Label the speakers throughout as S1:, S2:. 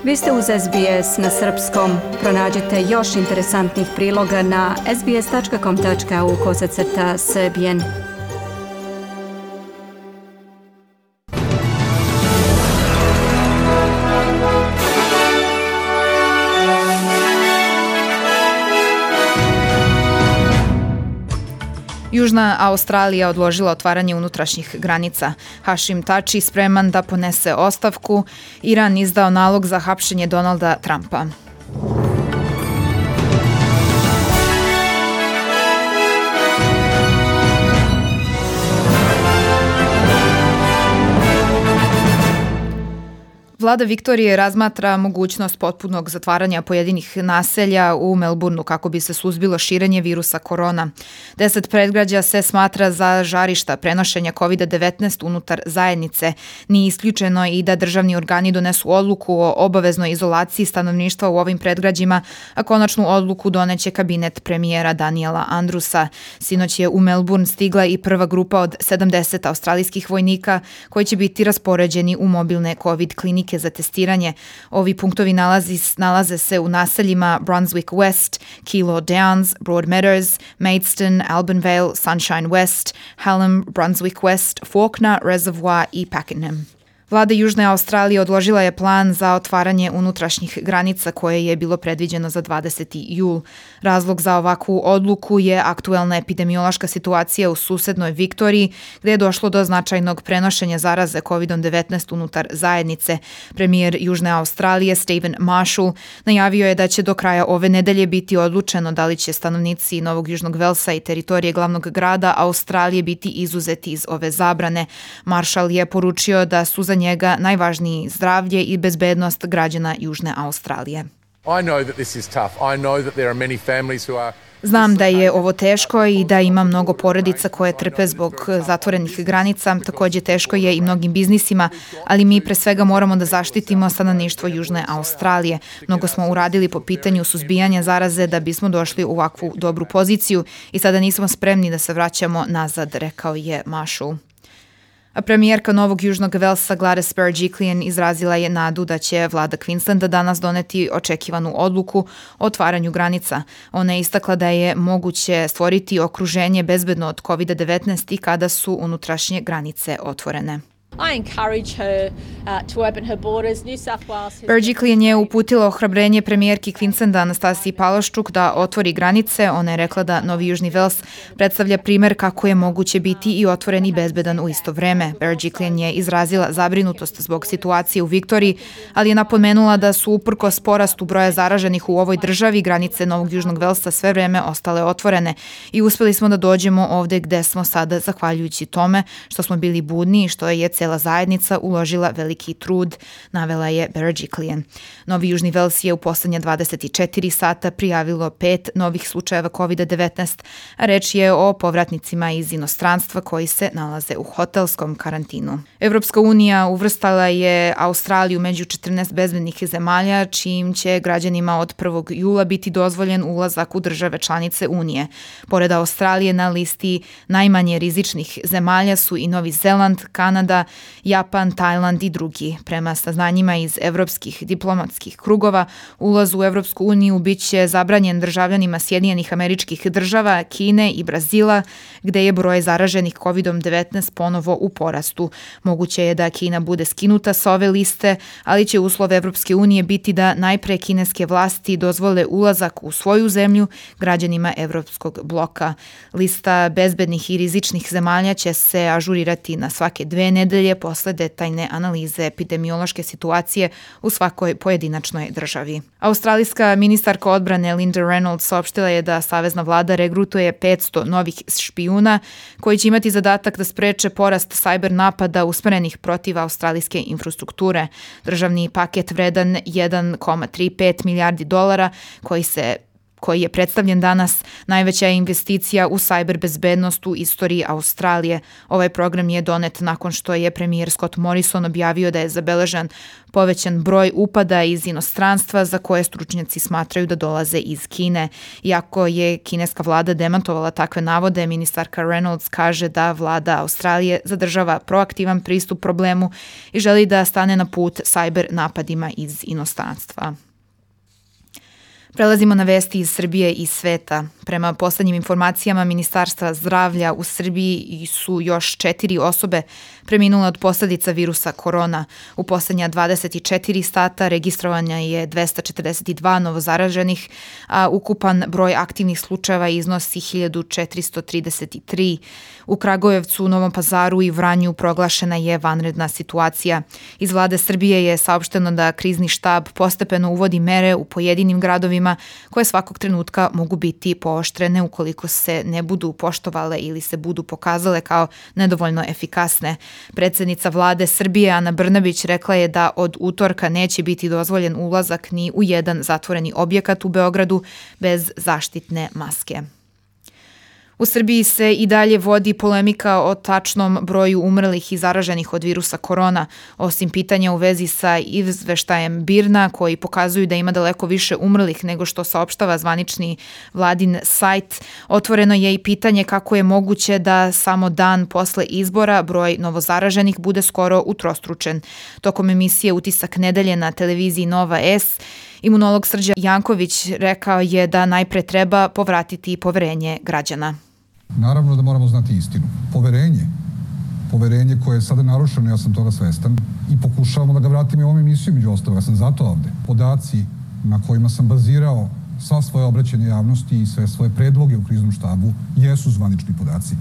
S1: Vi ste uz SBS na srpskom. Pronađite još interesantnih priloga na sbs.com.au/srbijen.
S2: Južna Australija odložila otvaranje unutrašnjih granica. Hašim Tači spreman da ponese ostavku. Iran izdao nalog za hapšenje Donalda Trumpa. Vlada Viktorije razmatra mogućnost potpunog zatvaranja pojedinih naselja u Melbourneu kako bi se suzbilo širenje virusa korona. 10 predgrađa se smatra za žarišta prenošenja COVID-19 unutar zajednice. Nije isključeno i da državni organi donesu odluku o obaveznoj izolaciji stanovništva u ovim predgrađima, a konačnu odluku doneće kabinet premijera Daniela Andrewsa. Sinoć je u Melbourne stigla i prva grupa od 70 australijskih vojnika koji će biti raspoređeni u mobilne COVID klinike za testiranje. Ovi punktovi nalaze se u naseljima Brunswick West, Kilo Downs, Broadmeadows, Maidstone, Albanvale, Sunshine West, Hallam, Brunswick West, Fawkner, Reservoir i Pakenham. Vlada Južne Australije odložila je plan za otvaranje unutrašnjih granica koje je bilo predviđeno za 20. jul. Razlog za ovakvu odluku je aktuelna epidemiološka situacija u susednoj Viktoriji, gdje je došlo do značajnog prenošenja zaraze COVID-19 unutar zajednice. Premijer Južne Australije Stephen Marshall najavio je da će do kraja ove nedelje biti odlučeno da li će stanovnici Novog Južnog Velsa i teritorije glavnog grada Australije biti izuzeti iz ove zabrane. Marshall je poručio da su za njega najvažniji zdravlje i bezbednost građana Južne Australije. Znam da je ovo teško i da ima mnogo porodica koje trpe zbog zatvorenih granica, također teško je i mnogim biznisima, ali mi pre svega moramo da zaštitimo stanovništvo Južne Australije. Mnogo smo uradili po pitanju suzbijanja zaraze da bismo došli u ovakvu dobru poziciju i sada nismo spremni da se vraćamo nazad, rekao je Marshall. A premijerka Novog Južnog Velsa Gladys Berejiklian izrazila je nadu da će vlada Queenslanda danas doneti očekivanu odluku o otvaranju granica. Ona je istakla da je moguće stvoriti okruženje bezbedno od COVID-19 i kada su unutrašnje granice otvorene. Berejiklian je uputila ohrabrenje premijerki Queenslanda Anastasiji Palaszczuk da otvori granice. Ona je rekla da Novi Južni Vels predstavlja primer kako je moguće biti i otvoren i bezbedan u isto vreme. Berejiklian je izrazila zabrinutost zbog situacije u Viktoriji, ali je napomenula da su uprkos porastu broja zaraženih u ovoj državi granice Novog Južnog Velsa sve vreme ostale otvorene i uspeli smo da dođemo ovde gde smo sada zahvaljujući tome što smo bili budni i što je cijela zajednica uložila veliki trud, navela je Berejiklian. Novi Južni Vels je u poslednja 24 sata prijavilo 5 novih slučajeva COVID-19, a reč je o povratnicima iz inostranstva koji se nalaze u hotelskom karantinu. Evropska unija uvrstala je Australiju među 14 bezbednih zemalja, čijim će građanima od 1. jula biti dozvoljen ulazak u države članice Unije. Pored Australije na listi najmanje rizičnih zemalja su i Novi Zeland, Kanada, Japan, Tajland i drugi. Prema saznanjima iz evropskih diplomatskih krugova, ulaz u Evropsku uniju biće zabranjen državljanima Sjedinjenih Američkih Država, Kine i Brazila, gde je broj zaraženih COVID-19 ponovo u porastu. Moguće je da Kina bude skinuta sa ove liste, ali će uslov Evropske unije biti da najpre kineske vlasti dozvole ulazak u svoju zemlju građanima Evropskog bloka. Lista bezbednih i rizičnih zemalja će se ažurirati na svake 2 nedelje posle detaljne analize epidemiološke situacije u svakoj pojedinačnoj državi. Australijska ministarka odbrane Linda Reynolds saopštila je da savezna vlada regrutuje 500 novih špijuna koji će imati zadatak da spreče porast sajber napada usmerenih protiv australijske infrastrukture. Državni paket vredan $1,35 milijardi koji se koji je predstavljen danas, najveća je investicija u sajber bezbednost u istoriji Australije. Ovaj program je donet nakon što je premijer Scott Morrison objavio da je zabeležen povećan broj upada iz inostranstva za koje stručnjaci smatraju da dolaze iz Kine. Iako je kineska vlada demantovala takve navode, ministarka Reynolds kaže da vlada Australije zadržava proaktivan pristup problemu i želi da stane na put sajber napadima iz inostranstva. Prelazimo na vesti iz Srbije i sveta. Prema poslednjim informacijama Ministarstva zdravlja u Srbiji su još 4 osobe preminule od posledica virusa korona. U poslednja 24 sata registrovanja je 242 novozaraženih, a ukupan broj aktivnih slučajeva iznosi 1433. U Kragujevcu, Novom Pazaru i Vranju proglašena je vanredna situacija. Iz vlade Srbije je saopšteno da krizni štab postepeno uvodi mere u pojedinim gradovima koje svakog trenutka mogu biti pooštrene ukoliko se ne budu poštovale ili se budu pokazale kao nedovoljno efikasne. Predsednica vlade Srbije Ana Brnabić rekla je da od utorka neće biti dozvoljen ulazak ni u jedan zatvoreni objekat u Beogradu bez zaštitne maske. U Srbiji se i dalje vodi polemika o tačnom broju umrlih i zaraženih od virusa korona. Osim pitanja u vezi sa izveštajem BIRN-a koji pokazuju da ima daleko više umrlih nego što saopštava zvanični vladin sajt, otvoreno je i pitanje kako je moguće da samo dan posle izbora broj novozaraženih bude skoro utrostručen. Tokom emisije Utisak nedelje na televiziji Nova S, imunolog Srđan Janković rekao je da najpre treba povratiti poverenje građana.
S3: Naravno da moramo znati istinu. Poverenje koje je sada narušeno, ja sam toga svestan i pokušavamo da ga vratimo i u ovom emisiju, među ostalog, ja sam zato ovde. Podaci na kojima sam bazirao sva svoje obraćanje javnosti i sve svoje predloge u kriznom štabu jesu zvanični podaci.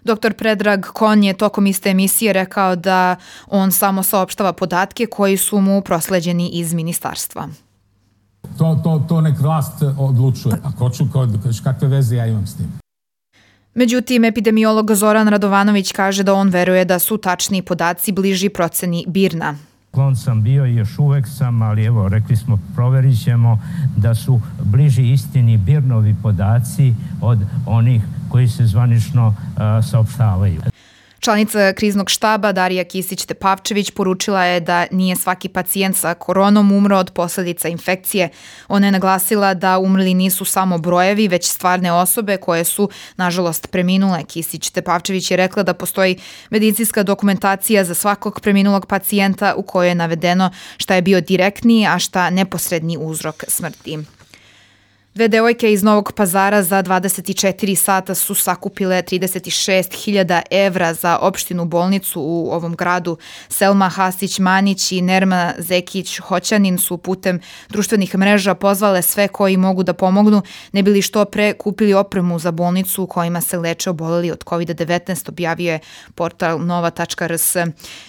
S2: Dr. Predrag Kon je tokom iste emisije rekao da on samo saopštava podatke koji su mu prosleđeni iz ministarstva.
S4: To nek vlast odlučuje. A kakve veze ja imam s tim?
S2: Međutim, epidemiolog Zoran Radovanović kaže da on veruje da su tačni podaci bliži proceni BIRN-a.
S5: Klon sam bio i još uvek sam, ali evo, rekli smo, proverit ćemo da su bliži istini BIRN-ovi podaci od onih koji se zvanično saopštavaju.
S2: Članica kriznog štaba Darija Kisić-Tepavčević poručila je da nije svaki pacijent sa koronom umro od posledica infekcije. Ona je naglasila da umrli nisu samo brojevi, već stvarne osobe koje su, nažalost, preminule. Kisić-Tepavčević je rekla da postoji medicinska dokumentacija za svakog preminulog pacijenta u kojoj je navedeno šta je bio direktni, a šta neposredni uzrok smrti. 2 devojke iz Novog Pazara za 24 sata su sakupile 36.000 evra za opštinu bolnicu u ovom gradu. Selma Hasić-Manić i Nerma Zekić-Hoćanin su putem društvenih mreža pozvale sve koji mogu da pomognu, ne bili što pre kupili opremu za bolnicu u kojima se leče oboleli od COVID-19, objavio je portal nova.rs.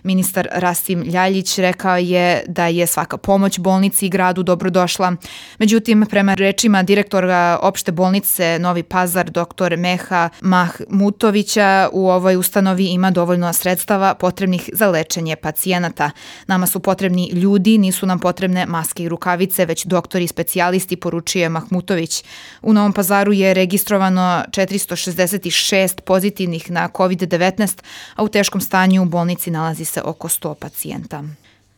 S2: Ministar Rasim Ljaljić rekao je da je svaka pomoć bolnici i gradu dobrodošla. Međutim, prema rečima direktora opšte bolnice Novi Pazar, dr. Meha Mahmutovića, u ovoj ustanovi ima dovoljno sredstava potrebnih za lečenje pacijenata. Nama su potrebni ljudi, nisu nam potrebne maske i rukavice, već doktori i specijalisti, poručuje Mahmutović. U Novom Pazaru je registrovano 466 pozitivnih na COVID-19, a u teškom stanju u bolnici nalazi se oko 100 pacijenta.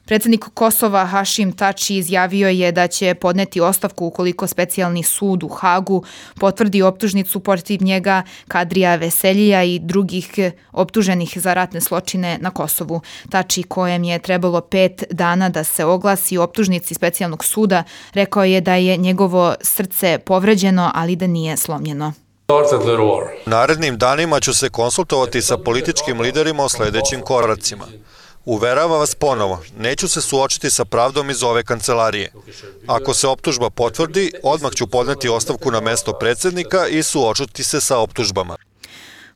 S2: Predsednik Kosova Hašim Tači izjavio je da će podneti ostavku ukoliko specijalni sud u Hagu potvrdi optužnicu protiv njega, Kadrija Veseljija i drugih optuženih za ratne zločine na Kosovu. Tači, kojem je trebalo 5 dana da se oglasi optužnici specijalnog suda, rekao je da je njegovo srce povređeno, ali da nije slomljeno.
S6: U narednim danima ću se konsultovati sa političkim liderima o sledećim koracima. Uveravam vas ponovo, neću se suočiti sa pravdom iz ove kancelarije. Ako se optužba potvrdi, odmah ću podneti ostavku na mesto predsednika i suočiti se sa optužbama.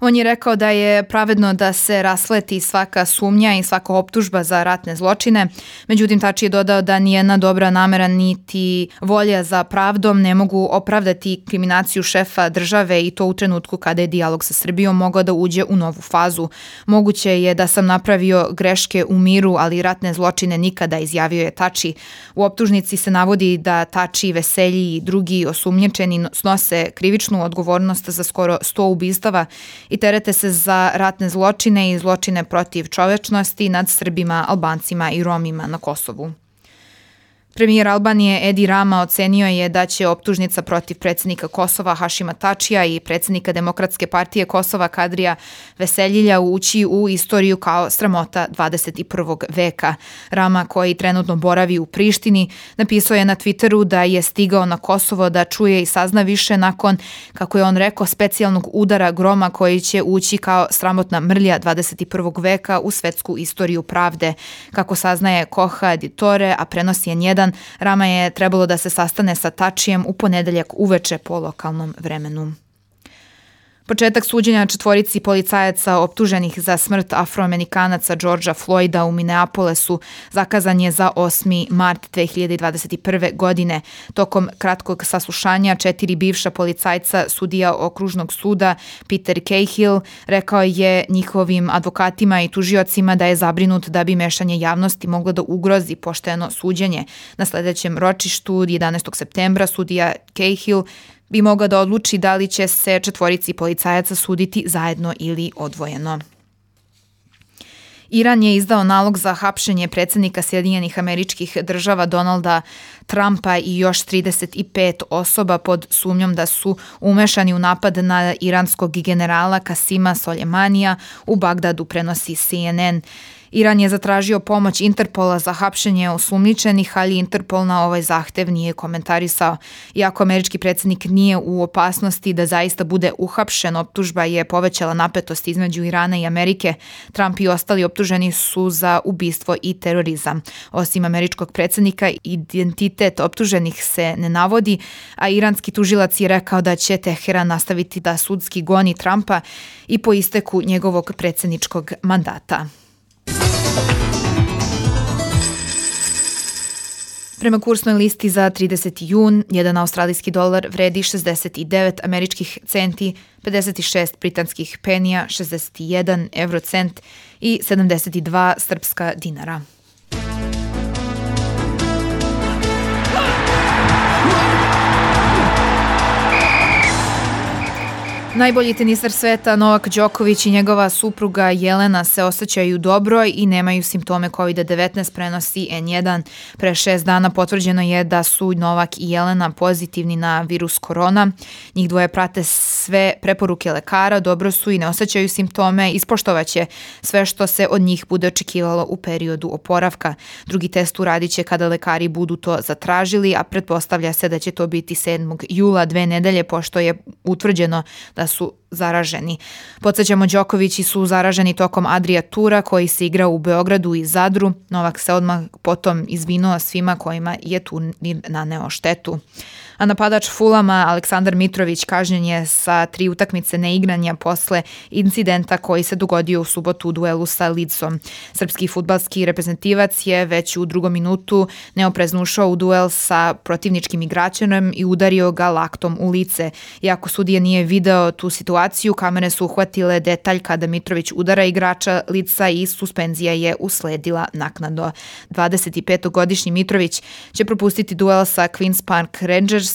S2: On je rekao da je pravedno da se rasleti svaka sumnja i svaka optužba za ratne zločine. Međutim, Tači je dodao da nijedna dobra namera niti volja za pravdom ne mogu opravdati kriminaciju šefa države i to u trenutku kada je dijalog sa Srbijom mogao da uđe u novu fazu. Moguće je da sam napravio greške u miru, ali ratne zločine nikada, izjavio je Tači. U optužnici se navodi da Tači, Veselji i drugi osumnjičeni snose krivičnu odgovornost za skoro 100 ubistava i terete se za ratne zločine i zločine protiv čovečnosti nad Srbima, Albancima i Romima na Kosovu. Premijer Albanije Edi Rama ocenio je da će optužnica protiv predsjednika Kosova Hašima Tačija i predsjednika Demokratske partije Kosova Kadrija Veseljilja ući u istoriju kao sramota 21. veka. Rama, koji trenutno boravi u Prištini, napisao je na Twitteru da je stigao na Kosovo da čuje i sazna više nakon, kako je on rekao, specijalnog udara groma koji će ući kao sramotna mrlja 21. veka u svetsku istoriju pravde. Kako saznaje Koha Editore, a prenosi je N1, Rama je trebalo da se sastane sa Tačijem u ponedeljak uveče po lokalnom vremenu. Početak suđenja 4 policajaca optuženih za smrt Afroamerikanaca Georgea Floyda u Minneapolesu zakazan je za 8. mart 2021. godine. Tokom kratkog saslušanja 4 bivša policajca sudija okružnog suda Peter Cahill rekao je njihovim advokatima i tužiocima da je zabrinut da bi mešanje javnosti moglo da ugrozi pošteno suđenje. Na sledećem ročištu 11. septembra sudija Cahill bi mogao da odluči da li će se 4 policajaca suditi zajedno ili odvojeno. Iran je izdao nalog za hapšenje predsjednika Sjedinjenih Američkih Država Donalda Trumpa i još 35 osoba pod sumnjom da su umešani u napad na iranskog generala Kasima Soleimanija u Bagdadu, prenosi CNN. Iran je zatražio pomoć Interpola za hapšenje osumnjičenih, ali Interpol na ovaj zahtev nije komentarisao. Iako američki predsjednik nije u opasnosti da zaista bude uhapšen, optužba je povećala napetost između Irana i Amerike. Trump i ostali optuženi su za ubistvo i terorizam. Osim američkog predsjednika, identitet optuženih se ne navodi, a iranski tužilac je rekao da će Teheran nastaviti da sudski goni Trumpa i po isteku njegovog predsjedničkog mandata. Prema kursnoj listi za 30. jun, jedan australijski dolar vredi 69 američkih centi, 56 britanskih penija, 61 eurocent i 72 srpska dinara. Najbolji tenisar sveta Novak Đoković i njegova supruga Jelena se osjećaju dobro i nemaju simptome COVID-19, prenosi N1. Pre 6 dana potvrđeno je da su Novak i Jelena pozitivni na virus korona. Njih dvoje prate sve preporuke lekara, dobro su i ne osjećaju simptome, ispoštovaće sve što se od njih bude očekivalo u periodu oporavka. Drugi test uradit će kada lekari budu to zatražili, a pretpostavlja se da će to biti 7. jula, 2 nedelje, pošto je utvrđeno da su zaraženi. Podsjećamo, Đokovići su zaraženi tokom Adria tura koji se igra u Beogradu i Zadru. Novak se odmah potom izvinuo svima kojima je turnir naneo štetu. A napadač Fulama Aleksandar Mitrović kažnjen je sa 3 utakmice neigranja posle incidenta koji se dogodio u subotu u duelu sa Leedsom. Srpski fudbalski reprezentativac je već u 2. minutu neoprezno ušao u duel sa protivničkim igračem i udario ga laktom u lice. Iako sudija nije video tu situaciju, kamere su uhvatile detalj kada Mitrović udara igrača lica i suspenzija je usledila naknadno. 25-godišnji Mitrović će propustiti duel sa Queen's Park Rangersima,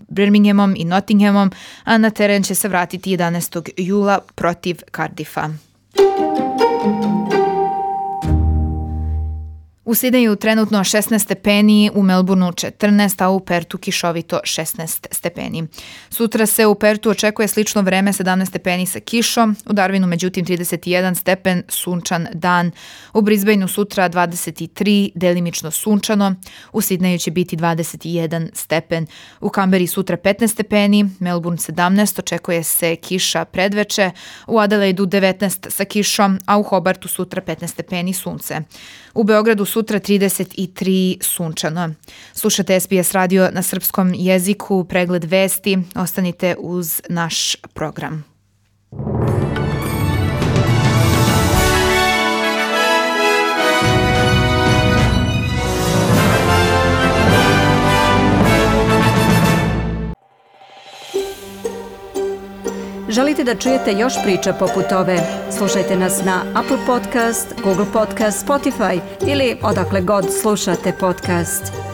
S2: Birminghamom i Nottinghamom, a na teren će se vratiti 11. jula protiv Cardiffa. U Sidneju trenutno 16 stepeni, u Melbourneu 14, a u Pertu kišovito 16 stepeni. Sutra se u Pertu očekuje slično vreme, 17 stepeni sa kišom, u Darwinu međutim 31 stepen, sunčan dan. U Brisbaneu sutra 23, delimično sunčano, u Sidneju će biti 21 stepen. U Kamberi sutra 15 stepeni, Melbourne 17, očekuje se kiša predveče, u Adelaidu 19 sa kišom, a u Hobartu sutra 15 stepeni, sunce. U Beogradu sutra 33 sunčano. Slušate SBS radio na srpskom jeziku, pregled vesti. Ostanite uz naš program.
S1: Želite da čujete još priča poput ove? Slušajte nas na Apple Podcast, Google Podcast, Spotify ili odakle god slušate podcast.